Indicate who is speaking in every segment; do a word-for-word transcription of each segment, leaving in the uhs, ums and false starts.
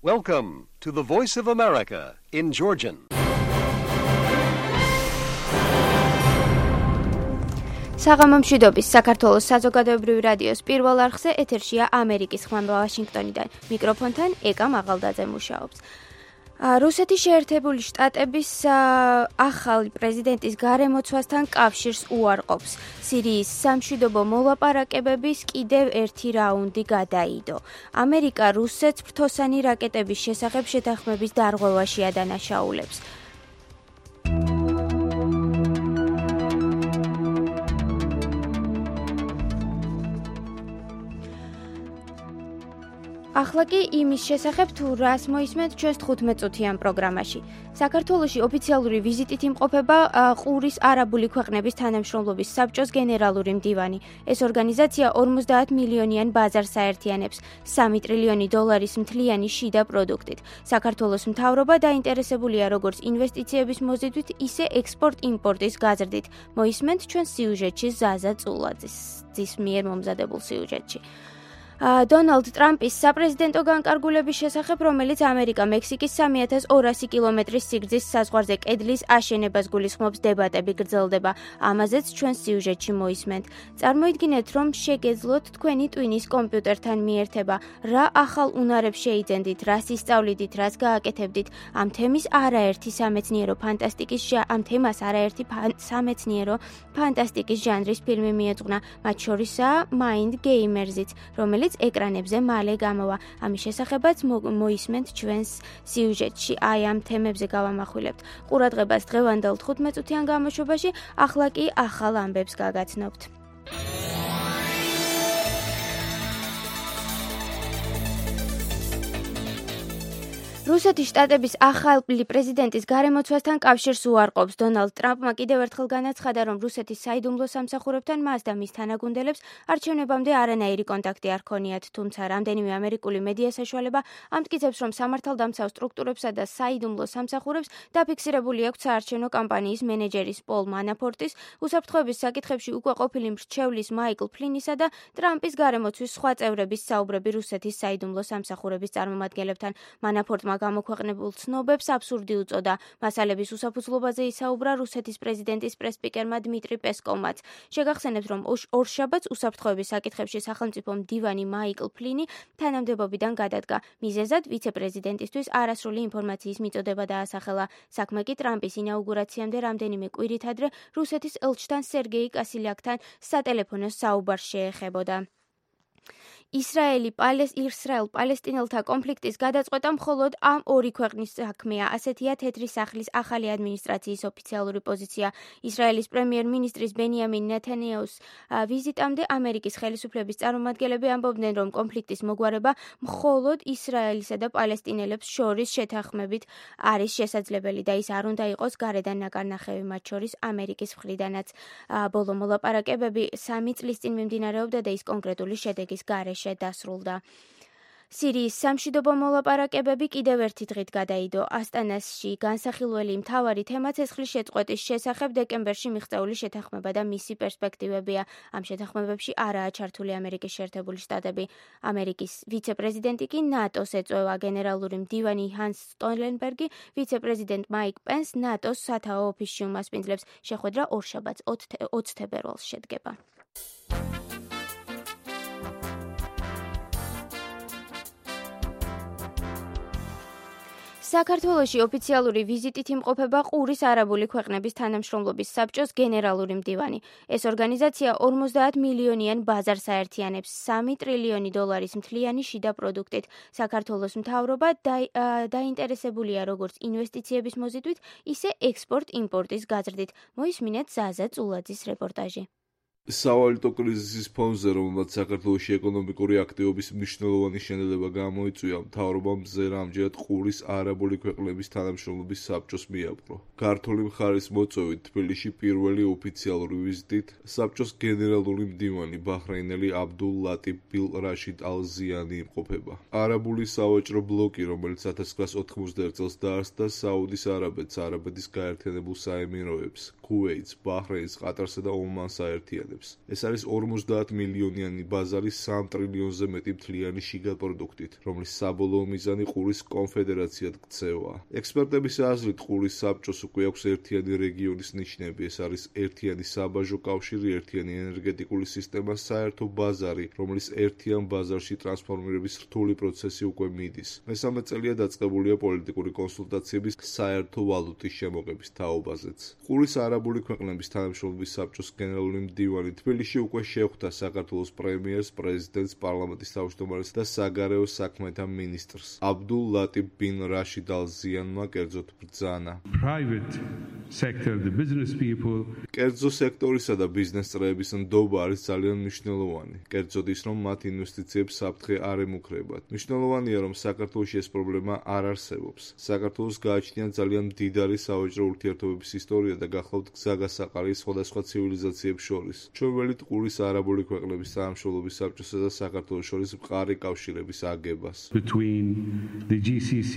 Speaker 1: Welcome to the Voice of America in Georgian.
Speaker 2: საღამომშვიდობის საქართველოს საზოგადოებრივი რადიოს პირველ არხზე ეთერშია ამერიკის ხმამბა ვაშინგტონიდან. მიკროფონთან ეკა მაღალდაძე მუშაობს. რუსეთის შეერთებული შტატების ახალი პრეზიდენტის გარემოცვასთან კავშირს უარყოფს. სირიის სამშვიდობო მოლაპარაკებების კიდევ ერთი რაუნდი გადაიდო. ამერიკა რუსეთს ფრთოსანი რაკეტების შესახებ შეთანხმების დარღვევაში ადანაშაულებს. ახლა კი იმის შესახებ თუ რას მოისმენთ ჩვენს თხუთმეტ-წუთიან პროგრამაში. საქართველოში ოფიციალური ვიზიტით იმყოფება ყურის არაბული ქვეყნების თანამშრომლობის საბჭოს გენერალური მდივანი. ეს ორგანიზაცია ორმოცდაათ მილიონიან ბაზარს აერთიანებს სამი ტრილიონი დოლარის მთლიანი შიდა პროდუქტით. საქართველოს მთავრობა დაინტერესებულია როგორც ინვესტიციების მოზიდვით, ისე ექსპორტ-იმპორტის გაზრდით. მოისმენთ ჩვენს სიუჟეტში ზაზა წულაძის მიერ მომზადებულ სიუჟეტში. დონალდ ტრამპის საპრეზიდენტო განკარგულების შესახებ, რომელიც ამერიკა მექსიკის სამი ათას ორასი კილომეტრის სიგრძის საზღვარზე კედლის აშენებას გულისხმობს, დებატები გრძელდება. ამაზეც ჩვენ სიუჟეტში მოისმენთ. წარმოიდგინეთ, რომ შეგეძლოთ თქვენი ტვინის კომპიუტერთან მიერთება. რა ახალ უნარებს შეიძენდით, რას ისწავლიდით, რას გააკეთებდით. ამ თემის არაერთი სამეცნიერო ფანტასტიკის ამ თემას არაერთი სამეცნიერო ფანტასტიკის ჟანრის ფილმი მიეძღვნა. მათ შორისაა Mind Gamers-იც, რომელიც ეკრანებზე მალე გამოვა. ამის შესახებაც მოისმენთ ჩვენს სიუჟეტში. აი ამ თემებზე გავამახვილებთ. ყურადღებას დღევანდელ თხუთმეტ-წუთიან გამოშვებაში, ახლა კი ახალ ამბებს გაგაცნობთ. რუსეთის შტატების ახალი პრეზიდენტის გარემოცვასთან კავშირს უარყოფს. დონალდ ტრამპმა კიდევ ერთხელ განაცხადა, რომ რუსეთის საიდუმლო სამსახურებთან მას და მის თანაგუნდელებს არჩევნებამდე არანაირი კონტაქტი არ ჰქონიათ, თუმცა რამდენიმე ამერიკული მედია საშუალება ამტკიცებს, რომ სამართალდამცავ სტრუქტურებსა და საიდუმლო სამსახურებს დაფიქსირებული აქვს საარჩევნო კამპანიის მენეჯერის პოლ მანაფორტის, უსაფრთხოების საკითხებში უკვე ყოფილი მრჩევლის მაიკლ ფლინისა და ტრამპის გარემოცვის სხვა წევრების საუბრები რუსეთის საიდუმლო სამსახურების წარმომადგენლებთან. მანაფორტმა გამოქვეყნებულ ცნობებს აბსურდი უწოდა. მასალების უსაფუძვლობაზე ისაუბრა რუსეთის პრეზიდენტის პრესსპიკერმა დმიტრი პესკოვმაც. შეგახსენებთ, რომ ორშაბათს უსაფრთხოების საკითხებში სახელმწიფო მდივანი მაიკლ ფლინი თანამდებობიდან გადადგა. მიზეზად ვიცე-პრეზიდენტისთვის არასრული ინფორმაციის მიწოდება დაასახელა. საქმე კი ტრამპის ინაუგურაციამდე რამდენიმე კვირით ადრე რუსეთის ელჩთან სერგეი კასილიაკთან სატელეფონო საუბარს შეეხებოდა. ისრაელ-პალესტინელთა კონფლიქტის გადაწყვეტა მხოლოდ ამ ორი ქვეყნის საქმეა. ასეთია თეთრი სახლის ახალი ადმინისტრაციის ოფიციალური პოზიცია. ისრაელის პრემიერ-მინისტრის ბენიამინ ნეთანიაუს ვიზიტამდე ამერიკის ხელისუფლების წარმომადგენლები ამბობდნენ, რომ კონფლიქტის მოგვარება მხოლოდ ისრაელისა და პალესტინელებს შორის შეთანხმებით არის შესაძლებელი და ის არ უნდა იყოს გარედან ნაკარნახევი, მათ შორის ამერიკის მხრიდანაც. ბოლო მოლაპარაკებები სამი წლის წინ მიმდინარეობდა და ის კონკრეტული შედეგის გარეშე დასრულდა. სირიის სამშვიდობო მოლაპარაკებები კიდევ ერთი დღით გადაიდო. ასტანაში განსახილველი მთავარი თემა ცეცხლის შეწყვეტის შესახებ დეკემბერში მიღწეული შეთანხმება და მისი პერსპექტივებია. ამ შეთანხმებებში არაა ჩართული ამერიკის შეერთებული შტატები. ამერიკის ვიცე-პრეზიდენტი კი ნატოს ეწევა. გენერალური მდივანი ჰანს სტოლენბერგი, ვიცე-პრეზიდენტ მაიკ პენს ნატოს სათაო ოფისში უმასპინძლებს. შეხვედრა ორშაბათს ოცი თებერვალს შედგება. საქართველოში ოფიციალური ვიზიტით იმყოფება ყურის არაბული ქვეყნების თანამშრომლობის საბჭოს გენერალური მდივანი. ეს ორგანიზაცია ორმოცდაათ მილიონიან ბაზარს აერთიანებს სამი ტრილიონი დოლარის მთლიანი შიდა პროდუქტით. საქართველოს მთავრობა დაინტერესებულია როგორც ინვესტიციების მოზიდვით, ისე ექსპორტ-იმპორტის გაზრდით. მოისმინეთ ზაზა წულაძის რეპორტაჟი.
Speaker 3: სავალუტო კრიზისის ფონზე, რომელმაც საქართველოში ეკონომიკური აქტივობის მნიშვნელოვანი შენელება გამოიწვია, მთავრობამ მზერა ამჯერად ყურის არაბული ქვეყნების თანამშრომლობის საბჭოს მიაპყრო. ქართული მხარის მოწვევით თბილისში პირველი ოფიციალური ვიზიტით საბჭოს გენერალური მდივანი ბაჰრეინელი აბდულ ლატიფ ბილ რაშიდ ალ-ზიანი იმყოფება. არაბული სავაჭრო ბლოკი, რომელიც ათას ცხრაას ოთხმოცდაერთ წელს დაარსდა საუდის არაბეთს, არაბეთის გაერთიანებულ საემიროებს, ქუვეითს, ბაჰრეინს, ყატარსა და ომანს აერთიანებს. მოქმედებს. ეს არის ორმოცდაათ მილიონიანი ბაზარი სამ ტრილიონზე მეტი მთლიანი შიგა პროდუქტით, რომლის საბოლოო მიზანი ყურის კონფედერაციად ქცევა. ექსპერტების აზრით, ყურის საბჭოს უკვე აქვს ერთიანი რეგიონის ნიშნები, ეს არის ერთიანი საბაჟო კავშირი, ერთიანი ენერგეტიკული სისტემა, საერთო ბაზარი, რომლის ერთიან ბაზარში ტრანსფორმირების რთული პროცესი უკვე მიდის. მესამე წელია დაწყებულია პოლიტიკური კონსულტაციების საერთო ვალუტის შემოღების თაობაზეც. ყურის არაბული ქვეყნების თანამშრომლობის საბჭოს გენერალური მდივანი თბილისში უკვე შეხვდა საქართველოს პრემიერს, პრეზიდენტს, პარლამენტის თავმჯდომარეს და საგარეო საქმეთა მინისტრს. აბდულ ლატიფ ბინ რაშიდ ალ ზიანმა კერძოდ ბრძანა.
Speaker 4: Private sector, the business people.
Speaker 3: კერძო სექტორისა და ბიზნეს წრეების ნდობა არის ძალიან მნიშვნელოვანი. კერძოდ ის, რომ მათ ინვესტიციებს საფრთხე არ ემუქრებათ. მნიშვნელოვანია, რომ საქართველოში ეს პრობლემა არ არსებობს. საქართველოს გააჩნია ძალიან მდიდარი სავაჭრო ურთიერთობების ისტორია და გახლავთ გზაგასაყარი სხვადასხვა ცივილიზაციებს შორის. ჩვენ ველით ყურის არაბული ქვეყნების თანამშრომლობის საბჭოსა და საქართველოს შორის მყარი კავშირების აგებას.
Speaker 4: Between the G C C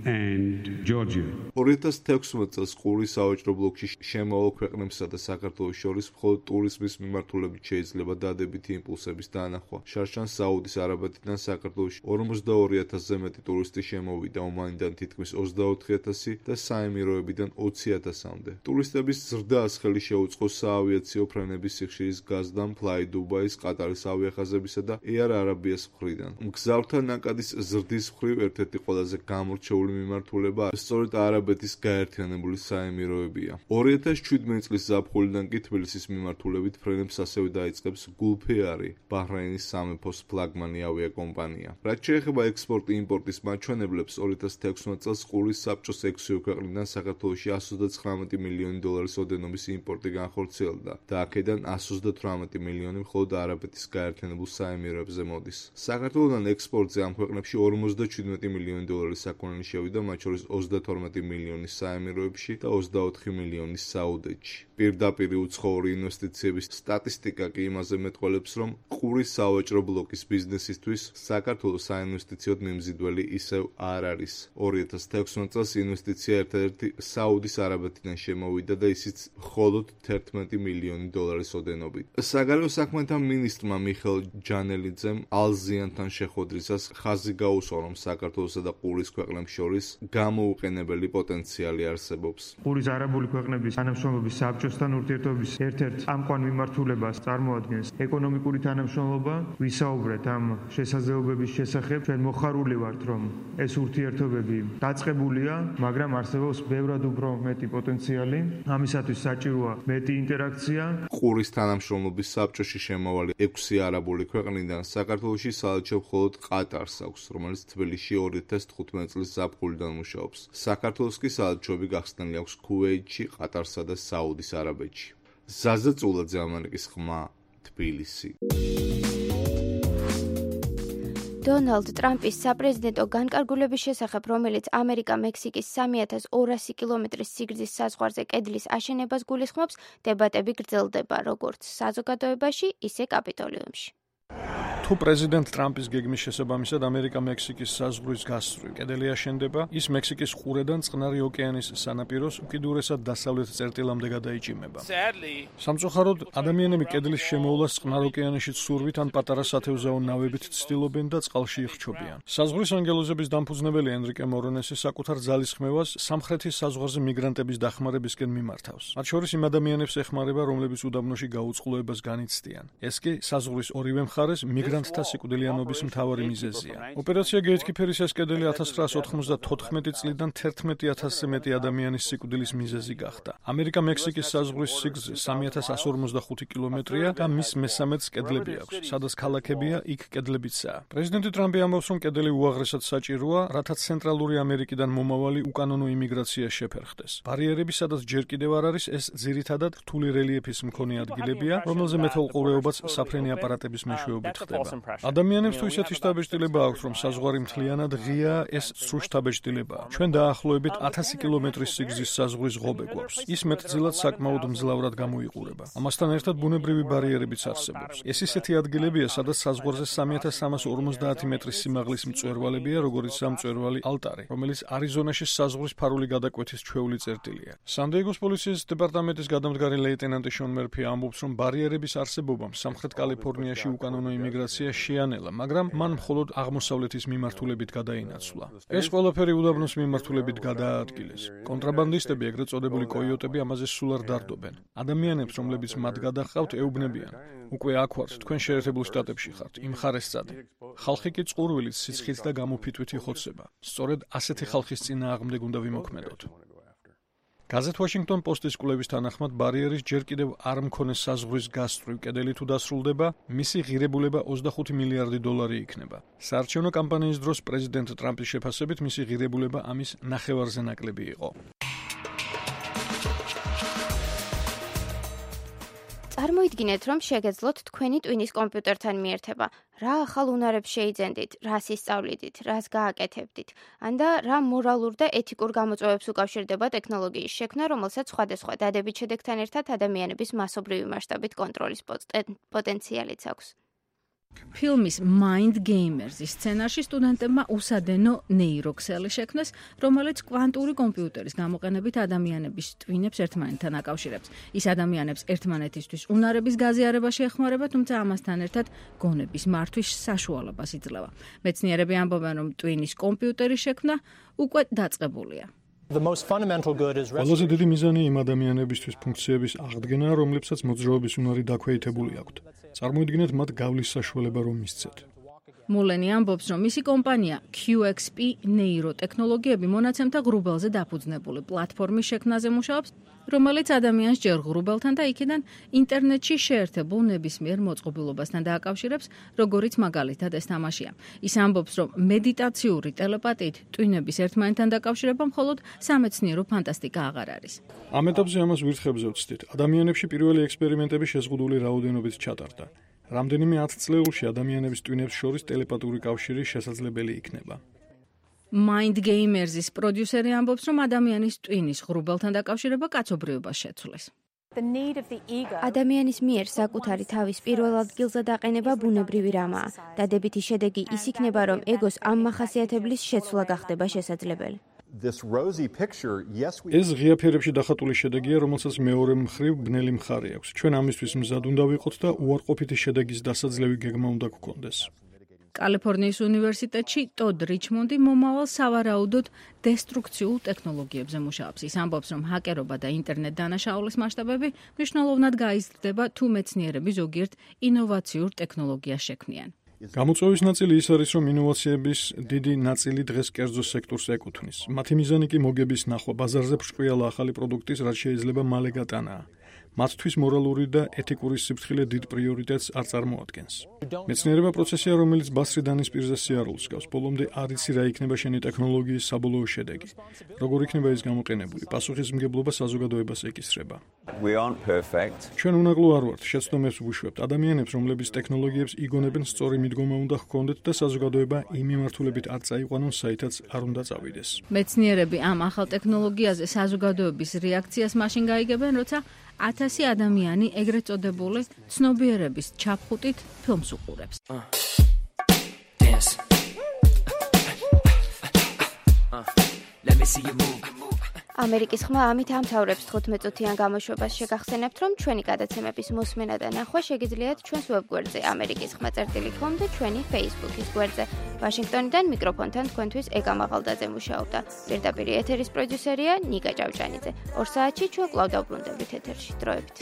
Speaker 4: and Georgia.
Speaker 3: ორი ათას თექვსმეტ წელს ყურის სავაჭრო ბლოკში შემავალ ქვეყნებსა და საქართველოს შორის მხოლოდ ტურიზმის მიმართულებით შეიძლება დადებითი იმპულსების დანახვა. შარშან საუდის არაბეთიდან საქართველოში ორმოცდაორი ათასზე მეტი ტურისტი შემოვიდა, ომანიდან თითქმის ოცდაოთხი ათასი და საემიროებიდან ოცი ათასამდე. ტურისტების ზრდას ხელი შეუწყო საავიაციო ფრენების სიხშირის გაზდამ Fly Dubai-ის, ყატარის ავიახაზებისა და Air Arabia-ს მხრიდან. მგზავრთა ნაკადის ზრდის მხრივ ერთ-ერთი ყველაზე გამორჩეული მიმართულება სწორედ არაბეთის გაერთიანებული საემიროებია. ორი ათას შვიდმეტი წლის ზაფხულიდან კი თბილისის მიმართულებით ფრენებს ასევე დაიწყებს Gulf Air, ბაჰრეინის სამეფოს ფლაგმანი ავიაკომპანია. რაც შეეხება ექსპორტ-იმპორტის მაჩვენებლებს, ორი ათას თექვსმეტ წელს ყურის საბჭოს ექვსი ქვეყნიდან საქართველოში εκατს ოცდაათი მილიონი დოლარის ოდენობის იმპორტი განხორციელდა და აქედან εκατს ოცდათვრამეტი მილიონი მხოლოდ არაბეთის გაერთიანებულ საემიროებზე მოდის. საქართველოდან ექსპორტზე ამ ქვეყნებში ორმოცდაშვიდმეტი მილიონი დოლარის საქონელი შევიდა, მათ შორის ოცდათორმეტი მილიონი საემიროებში და ოცდაოთხი მილიონი საუდეთში. პირდაპირი უცხოური ინვესტიციების სტატისტიკა კი იმაზე მეტყველებს, რომ ყურის სავაჭრო ბლოკის ბიზნესისთვის საქართველოს საინვესტიციოდ მიმზიდველი ისევ არ არის. ორი ათას თექვსმეტ წელს ინვესტიცია ერთადერთი საუდის არაბეთიდან შემოვიდა და ისიც მხოლოდ თერთმეტი მილიონი დოლარის ოდენობით. საგარეო საქმეთა მინისტრმა მიხეილ ჯანელიძემ ალ-ზიანთან შეხვედრისას ხაზი გაუსვა, რომ საქართველოსა და ყურის ქვეყნებს შორის გამოუყენებელი პოტენციალი არსებობს.
Speaker 5: ყურის არაბული ქვეყნების თანამშრომლობის საბჭოსთან ურთიერთობის ერთ-ერთ წამყვან მიმართულებას წარმოადგენს ეკონომიკური თანამშრომლობა. ვისაუბრეთ ამ შესაძლებლობების შესახებ. ჩვენ მოხარული ვართ, რომ ეს ურთიერთობები დაწყებულია, მაგრამ არსებობს ბევრად უფრო მეტი პოტენციალი. ამისათვის საჭიროა მეტი ინტერაქცია.
Speaker 3: ყურის თანამშრომლობის საბჭოში შემავალი ექვსი არაბული ქვეყნიდან საქართველოში საელჩო მხოლოდ ყატარს აქვს, რომელიც თბილისში ორი ათას თხუთმეტ წლის ზაფხულიდან მუშაობს. საქართველოს კი საელჩოები გახსნილი აქვს ქუვეითში, ყატარსა და საუდის არაბეთში. ზაზა წულაძე, ამერიკის ხმა, თბილისი.
Speaker 2: დონალდ ტრამპის საპრეზიდენტო განკარგულების შესახებ, რომელიც ამერიკა-მექსიკის სამი ათას ორასი კილომეტრის სიგრძის საზღვარზე კედლის აშენებას გულისხმობს, დებატები გრძელდება როგორც საზოგადოებაში, ისე კაპიტოლიუმში.
Speaker 6: თუ პრეზიდენტ ტრამპის გეგმის შესაბამისად ამერიკა-მექსიკის საზღვრის გასწვრივ კედელი აშენდება, ის მექსიკის ყურედან წყნარი ოკეანის სანაპიროს უკიდურესად დასავლეთ წერტილამდე გადაიჭიმება. სამწუხაროდ, ადამიანები კედლის შემოვლას წყნარ ოკეანეში ცურვით ან პატარა სათევზაო ნავებით ცდილობენ და წყალში იხჩობიან. საზღვრის ანგელოზების დამფუძნებელი ენრიკე მორონესი საკუთარ ძალისხმევას სამხრეთის საზღვარზე მიგრანტების დახმარებისკენ მიმართავს. მათ შორის იმ ადამიანებს ეხმარება, რომლებიც უდაბნოში გაუწყლოებას განიცდიან. ეს კი საზღვრის ორივე მხარეს მიგრანტთა სიკვდილიანობის მთავარი მიზეზია. ოპერაცია გეითქიფერის ეს კედელი ათას ცხრაას ოთხმოცდათოთხმეტი წლიდან თერთმეტი ათასზე მეტი ადამიანის სიკვდილის მიზეზი გახდა. ამერიკა-მექსიკის საზღვრის სიგრძე სამი ათას εκατო ორმოცდახუთი კილომეტრია და მის მესამედს კედლები აქვს. სადაც ქალაქებია, იქ კედლებიცაა. პრეზიდენტი ტრამპი ამბობს, რომ კედელი უაღრესად საჭიროა, რათა ცენტრალური ამერიკიდან მომავალი უკანონო იმიგრაცია შეფერხდეს. ბარიერები, სადაც ჯერ კიდევ არ არის, ეს ძირითადად რთული რელიეფის მქონე ადგილებია, რომელზე მეთვალყურეობაც საფრენი აპარატების მეშვეობით მეშვეობით ხდება. ადამიანებს თუ ისეთი შთაბეჭდილება აქვთ, რომ საზღვარი მთლიანად ღია, ეს სრულ შთაბეჭდილებაა. ჩვენ დაახლოებით ათასი კილომეტრის სიგრძის საზღვრის ღობე გვაქვს. ის მეტწილად საკმაოდ მძლავრად გამოიყურება. ამასთან ერთად ბუნებრივი ბარიერებიც არსებობს. ეს ისეთი ადგილებია, სადაც საზღვარზე სამი ათას სამას ორმოცდაათი მეტრის სიმაღლის მწვერვალებია, როგორიც ამ მწვერვალი ალტარი, რომელიც არიზონაში საზღვრის ფარული გადაკვეთის ჩვეული წერტილია. სან-დიეგოს პოლიციის დეპარტამენტის გადამდგარი ლეიტენანტი შონ მერფი ამბობს, რომ ბარიერების არსებობამ სამხრეთ კალიფორნიაში უკანონო იმიგრაცია შეანელა, მაგრამ მან მხოლოდ აღმოსავლეთის მიმართულებით გადაინაცვლა. ეს ყველაფერი უდაბნოს მიმართულებით გადააადგილეს. კონტრაბანდისტები, ეგრეთ წოდებული კოიოტები ამაზე სულ არ დარდობენ. ადამიანებს, რომლებიც მათ გადაჰყავთ, ეუბნებიან: უკვე აქ ვართ, თქვენ შეერთებულ შტატებში ხართ, იმ მხარეს წადი. ხალხი კი წყურვილით, სიცხით და გამოფიტვით იხოცება. სწორედ ასეთი ხალხის წინააღმდეგ უნდა ვიმოქმედოთ. გაზეთ Washington Post-ის კვლევის თანახმად, ბარიერის ჯერ კიდევ არ მქონე საზღვრის გასწვრივ კედელი თუ დასრულდება, მისი ღირებულება ოცდახუთი მილიარდი დოლარი იქნება. საარჩევნო კამპანიის დროს პრეზიდენტ ტრამპის შეფასებით მისი ღირებულება ამის ნახევარზე ნაკლები იყო.
Speaker 2: წარმოიდგინეთ, რომ შეგეძლოთ თქვენი ტვინის კომპიუტერთან მიერთება. რა ახალ უნარებს შეიძენდით, რას ისწავლიდით, რას გააკეთებდით, ანდა რა მორალურ და ეთიკურ გამოწვევებს უკავშირდება ტექნოლოგიის შექმნა, რომელსაც სხვადასხვა დადებით შედეგთან ერთად ადამიანების მასობრივი მასშტაბით კონტროლის პოტენციალიც აქვს.
Speaker 7: ფილმის Mind Gamers-ის სცენარში სტუდენტებმა უსადენო ნეიროქსელი შექმნეს, რომელიც კვანტური კომპიუტერის გამოყენებით ადამიანების ტვინებს ერთმანეთთან აკავშირებს. ის ადამიანებს ერთმანეთისთვის უნარების გაზიარებაში ეხმარება, თუმცა ამასთან ერთად გონების მართვის საშუალებას იძლევა. მეცნიერები ამბობენ, რომ ტვინის კომპიუტერის შექმნა უკვე დაწყებულია.
Speaker 6: ყველაზე დიდი მიზანი იმ ადამიანებისთვის ფუნქციების აღდგენაა, რომლებსაც მოძრაობის უნარი დაქვეითებული აქვთ. წარმოიდგინეთ, მათ გავლის საშუალება რომ მისცეთ.
Speaker 7: მულენი ამბობს, რომ მისი კომპანია Q X P ნეიროტექნოლოგიები მონაცემთა ღრუბელზე დაფუძნებული პლატფორმის შექმნაზე მუშაობს, რომელიც ადამიანს ჯერ ღრუბელთან და იქიდან ინტერნეტში შეერთებულ ნებისმიერ მოწყობილობასთან დააკავშირებს, როგორიც მაგალითად ეს თამაშია. ის ამბობს, რომ მედიტაციური ტელეპათიით ტვინების ერთმანეთთან დაკავშირება მხოლოდ სამეცნიერო ფანტასტიკა აღარ არის.
Speaker 6: ამ ეტაპზე ამას ვირთხებზე ვცდით. ადამიანებში პირველი ექსპერიმენტები შეზღუდული რაოდენობით ჩატარდა. რამდენიმე ათწლეულში ადამიანების ტვინებს შორის ტელეპათიური კავშირი შესაძლებელი იქნება.
Speaker 7: Mind Gamers-ის პროდიუსერი ამბობს, რომ ადამიანის ტვინის ღრუბელთან დაკავშირება კაცობრიობას შეცვლეს.
Speaker 2: ადამიანის მიერ საკუთარი თავის პირველ ადგილზე დაყენება ბუნებრივი რამაა. დადებითი შედეგი ის იქნება, რომ ეგოს ამ მახასიათებლის შეცვლა გახდება შესაძლებელი.
Speaker 6: ეს ღია ფერებში დახატული შედეგია, რომელსაც მეორე მხრივ ბნელი მხარე აქვს. ჩვენ ამისთვის მზად უნდა ვიყოთ და უარყოფითი შედეგის დასაძლევი გეგმა უნდა გქონდეს.
Speaker 7: კალიფორნიის უნივერსიტეტში ტოდ რიჩმონდი მომავალ სავარაუდოდ დესტრუქციულ ტექნოლოგიებზე მუშაობს. ის ამბობს, რომ ჰაკერობა და ინტერნეტ დანაშაულის მასშტაბები მნიშვნელოვნად გაიზრდება, თუ მეცნიერები ზოგიერთ ინოვაციურ ტექნოლოგიას შექმნიან.
Speaker 6: გამოწვევის ნაწილი ის არის, რომ ინოვაციების დიდი ნაწილი დღეს კერძო სექტორს ეკუთვნის. მათი მიზანი კი მოგების ნახვა, ბაზარზე ბრჭყვიალა ახალი პროდუქტის, რაც შეიძლება მალე გატანაა. მათთვის მორალური და ეთიკური სიფრთხილე დიდ პრიორიტეტს არ წარმოადგენს. მეცნიერება პროცესია, რომელიც ბასრი დანის პირზე სიარულს გავს. ბოლომდე არ იცი რა იქნება შენი ტექნოლოგიის საბოლოო შედეგი. როგორ იქნება ის გამოყენებული, პასუხისმგებლობა საზოგადოებას ეკისრება. ჩვენ უნაკლო არ ვართ, შეცდომებს ვუშვებთ. ადამიანებს, რომლებიც ტექნოლოგიებს იგონებენ, სწორი მიდგომა უნდა ჰქონდეთ და საზოგადოება იმ მიმართულებით არ წაიყვანონ, საითაც არ უნდა წავიდეს.
Speaker 7: მეცნიერები ამ ახალ ტექნოლოგიაზე საზოგადოების რეაქციას მაშინ გაიგებენ, როცა ათასი ადამიანი ეგრეთ წოდებული ცნობიერების ჩაფხუტით ფილმს უყურებს.
Speaker 2: ამერიკის ხმა ამით ამთავრებს თხუთმეტ-წუთიან გამოშვებას. შეგახსენებთ, რომ ჩვენი გადაცემების მოსმენა და ნახვა შეგიძლიათ ჩვენს ვებგვერდზე ამერიკის ხმა წერტილი თქო და ჩვენი Facebook-ის გვერდზე. ვაშინგტონიდან მიკროფონთან თქვენთვის ეგა მაღალდაძე მუშაობდა. პირდაპირ ეთერის პროდიუსერია ნიკა ჭავჭანიძე. ორ საათში ჩვენ კვლავ დავბრუნდებით ეთერში. დროებით.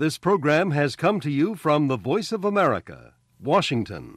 Speaker 1: This program has come to you from the Voice of America, Washington.